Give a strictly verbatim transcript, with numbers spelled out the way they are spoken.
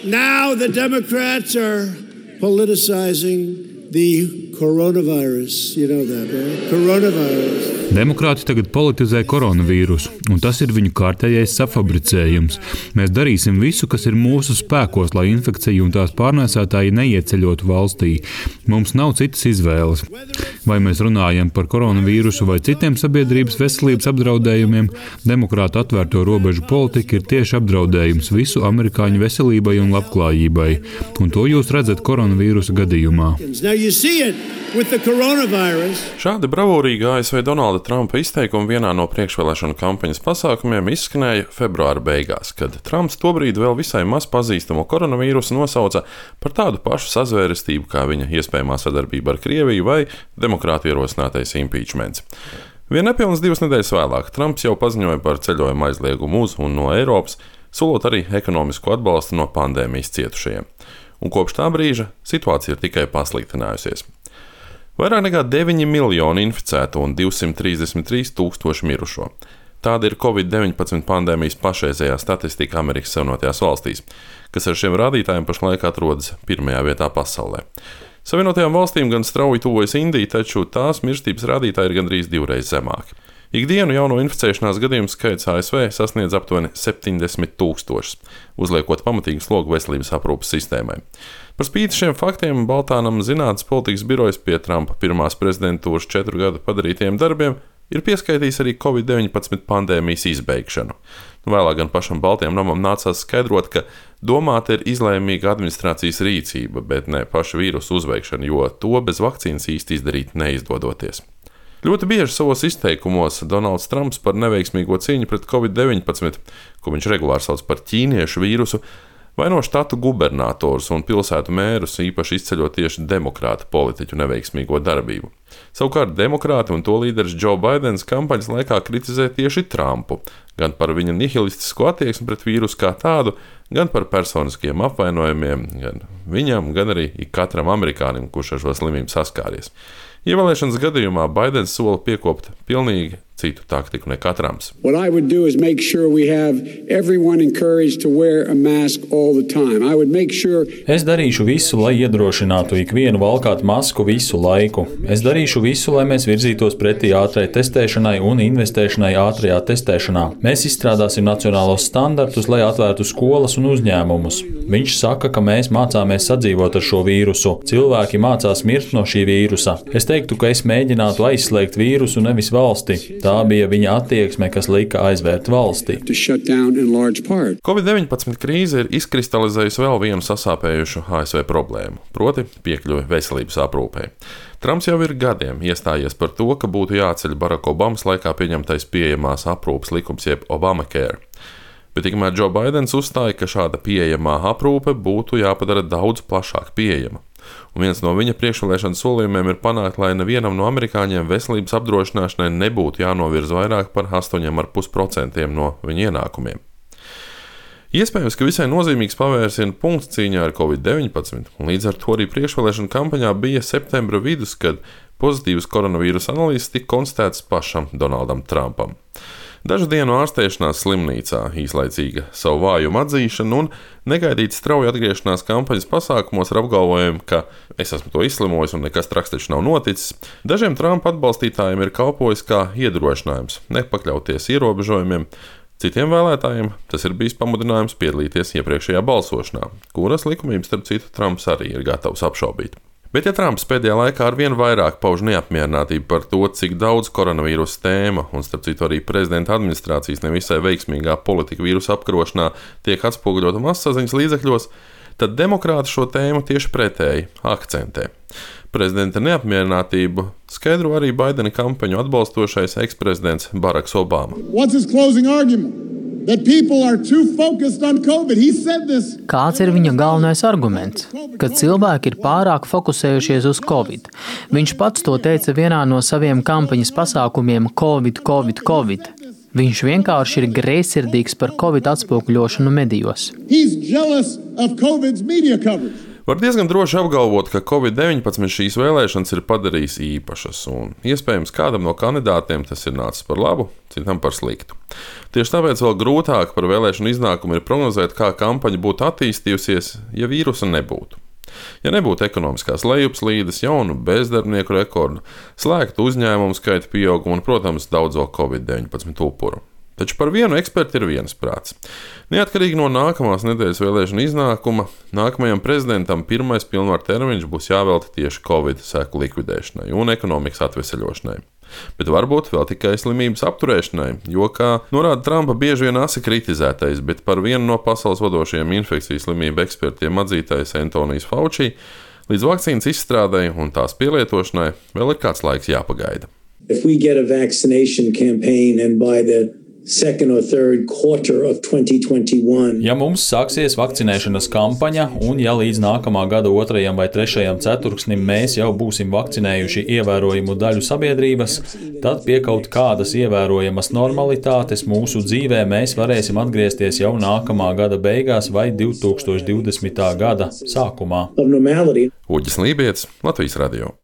Now the Democrats are politicizing the coronavirus. You know that, right? Coronavirus. Demokrāti tagad politizē koronavīrusu, un tas ir viņu kārtējais safabricējums. Mēs darīsim visu, kas ir mūsu spēkos, lai infekcija un tās pārnēsātāji neieceļotu valstī. Mums nav citas izvēles. Vai mēs runājam par koronavīrusu vai citiem sabiedrības veselības apdraudējumiem, demokrātu atvērto robežu politika ir tieši apdraudējums visu amerikāņu veselībai un labklājībai. Un to jūs redzat koronavīrusa gadījumā. Šādi bravūrīgi A S V Donalda Trumpa izteikumi vienā no priekšvēlēšanu kampaņas pasākumiem izskanēja februāra beigās, kad Trumps tobrīd vēl visai maz pazīstamo koronavīrusu nosauca par tādu pašu sazvērestību kā viņa iespējamā sadarbība ar Krieviju vai demokrātu ierosinātais impeachments. Vien nepilnas divas nedēļas vēlāk Trumps jau paziņoja par ceļojumu aizliegumu uz un no Eiropas, solot arī ekonomisku atbalstu no pandēmijas cietušajiem. Un kopš tā brīža situācija ir tikai pasliktinājusies. Vairāk nekā deviņi miljoni inficētu un divsimt trīsdesmit trīs tūkstoši mirušo. Tāda ir covid deviņpadsmit pandēmijas pašreizējā statistika Amerikas Savienotajās valstīs, kas ar šiem rādītājiem pašlaik atrodas pirmajā vietā pasaulē. Savienotajām valstīm gan strauji tuvojas Indija, taču tās mirstības rādītāji ir gandrīz divreiz zemāki. Ikdienu jauno inficēšanās gadījumu skaits A S V sasniedz aptuveni septiņdesmit tūkstošus, uzliekot pamatīgu slogu veselības aprūpes sistēmai. Par spīti šiem faktiem Baltānam zinātnes politikas birojas pie Trumpa pirmās prezidentūras četru gadu padarītajiem darbiem ir pieskaitījis arī covid deviņpadsmit pandēmijas izbeigšanu. Vēlāk gan pašam Baltajam namam nācās skaidrot, ka domāta ir izlēmīga administrācijas rīcība, bet ne paša vīrusu uzveikšana, jo to bez vakcīnas īsti izdarīt neizdodoties. Ļoti bieži savos izteikumos Donalds Trumps par neveiksmīgo cīņu pret covid deviņpadsmit, ko viņš regulāri sauc par ķīniešu vīrusu, vaino štatu gubernatorus un pilsētu mērus, īpaši izceļot tieši demokrātu politiķu neveiksmīgo darbību. Savukārt demokrāti un to līderis Joe Bidens kampaņas laikā kritizē tieši Trumpu, gan par viņa nihilistisko attieksmi pret vīrusu kā tādu, gan par personiskiem apvainojumiem, gan viņam, gan arī ikatram amerikānim, kurš ar šo slimību saskāries. Ievēlēšanas gadījumā Baidens sola piekopt pilnīgi citu taktiku nekā Trumps. Es darīšu visu, lai iedrošinātu ikvienu valkāt masku visu laiku. Es darīšu visu, lai mēs virzītos pretī ātrai testēšanai un investēšanai ātrajā testēšanā. Mēs izstrādāsim nacionālos standartus, lai atvērtu skolas un uzņēmumus. Viņš saka, ka mēs mācāmies sadzīvot ar šo vīrusu. Cilvēki mācās mirt no šī vīrusa. Es teiktu, ka es mēģinātu aizslēgt vīrusu, nevis valsti. Tā bija viņa attieksme, kas lika aizvērt valsti. covid deviņpadsmit krīze ir izkristalizējusi vēl vienu sasāpējušu A S V problēmu, proti piekļuvi veselības aprūpei. Trumps jau ir gadiem iestājies par to, ka būtu jāceļ Baraka Obamas laikā pieņemtais pieejamās aprūpes likums jeb Obamacare. Bet tikmēr Joe Bidens uzstāja, ka šāda pieejamā aprūpe būtu jāpadara daudz plašāk pieejama. Un viens no viņa priekšvēlēšana solījumiem ir panākt, lai nevienam no amerikāņiem veselības apdrošināšanai nebūtu jānovirza vairāk par astoņi komats pieci procenti no viņa ienākumiem. Iespējams, ka visai nozīmīgs pavērsiena punkts cīņā ar covid deviņpadsmit, un līdz ar to arī priekšvēlēšana kampaņā bija septembra vidus, kad pozitīvas koronavīrusa analīzes tika konstatētas pašam Donaldam Trumpam. Dažu dienu ārstēšanās slimnīcā, īslaicīga savu vājumu atzīšana un negaidīta strauja atgriešanās kampaņas pasākumos ar apgalvojumu, ka es esmu to izslimojis un nekas traks taču nav noticis, dažiem Trumpa atbalstītājiem ir kalpojis kā iedrošinājums nepakļauties ierobežojumiem. Citiem vēlētājiem tas ir bijis pamudinājums piedalīties iepriekšējā balsošanā, kuras likumības starp citu Trumps arī ir gatavs apšaubīt. Bet ja Trumps pēdējā laikā arvien vairāk pauž neapmierinātību par to, cik daudz koronavīrusa tēma un starp citu arī prezidenta administrācijas nevisai veiksmīgā politika vīrusa apkarošanā tiek atspoguļota masasaziņas līdzekļos, tad demokrāti šo tēmu tieši pretēji akcentē. Prezidenta neapmierinātību skaidro arī Baidena kampaņu atbalstošais eksprezidents Baraks Obama. Kāds ir viņa galvenais arguments? Ka cilvēki ir pārāk fokusējušies uz Covid. Viņš pats to teica vienā no saviem kampaņas pasākumiem Covid, Covid, Covid. Viņš vienkārši ir greizsirdīgs par Covid atspoguļošanu medijos. Var diezgan droši apgalvot, ka covid deviņpadsmit šīs vēlēšanas ir padarījis īpašas, un iespējams kādam no kandidātiem tas ir nācis par labu, citam par sliktu. Tieši tāpēc vēl grūtāk par vēlēšanu iznākumu ir prognozēt, kā kampaņa būtu attīstījusies, ja vīrusa nebūtu. Ja nebūtu ekonomiskās lejupslīdes, jaunu bezdarbnieku rekordu, slēgtu uzņēmumu skaita pieaugumu un, protams, daudzo covid deviņpadsmit upuru. Taču par vienu eksperti ir viensprāts. Neatkarīgi no nākamās nedēļas vēlēšanu iznākuma, nākamajam prezidentam pirmais pilnvaru termiņš būs jāvelta tieši covid seku likvidēšanai un ekonomikas atveseļošanai. Bet varbūt vēl tikai slimības apturēšanai, jo, kā norāda Trumpa bieži vien asi kritizētais, bet par vienu no pasaules vadošajiem infekcijas slimību ekspertiem atzītais Antonijs Fauci, līdz vakcīnas izstrādei un tās pielietošanai vēl ir kāds laiks jāpagaida. If we get a vaccination campaign and by the second or third quarter of twenty twenty-one. Ja mums sāksies vakcinēšanas kampaņa, un ja līdz nākamā gada otrajam vai trešajam ceturksnim mēs jau būsim vakcinējuši ievērojumu daļu sabiedrības, tad pie kaut kādas ievērojamas normalitātes mūsu dzīvē mēs varēsim atgriezties jau nākamā gada beigās vai divtūkstoš divdesmitā gada sākumā. Uģis Lībietis, Latvijas radio.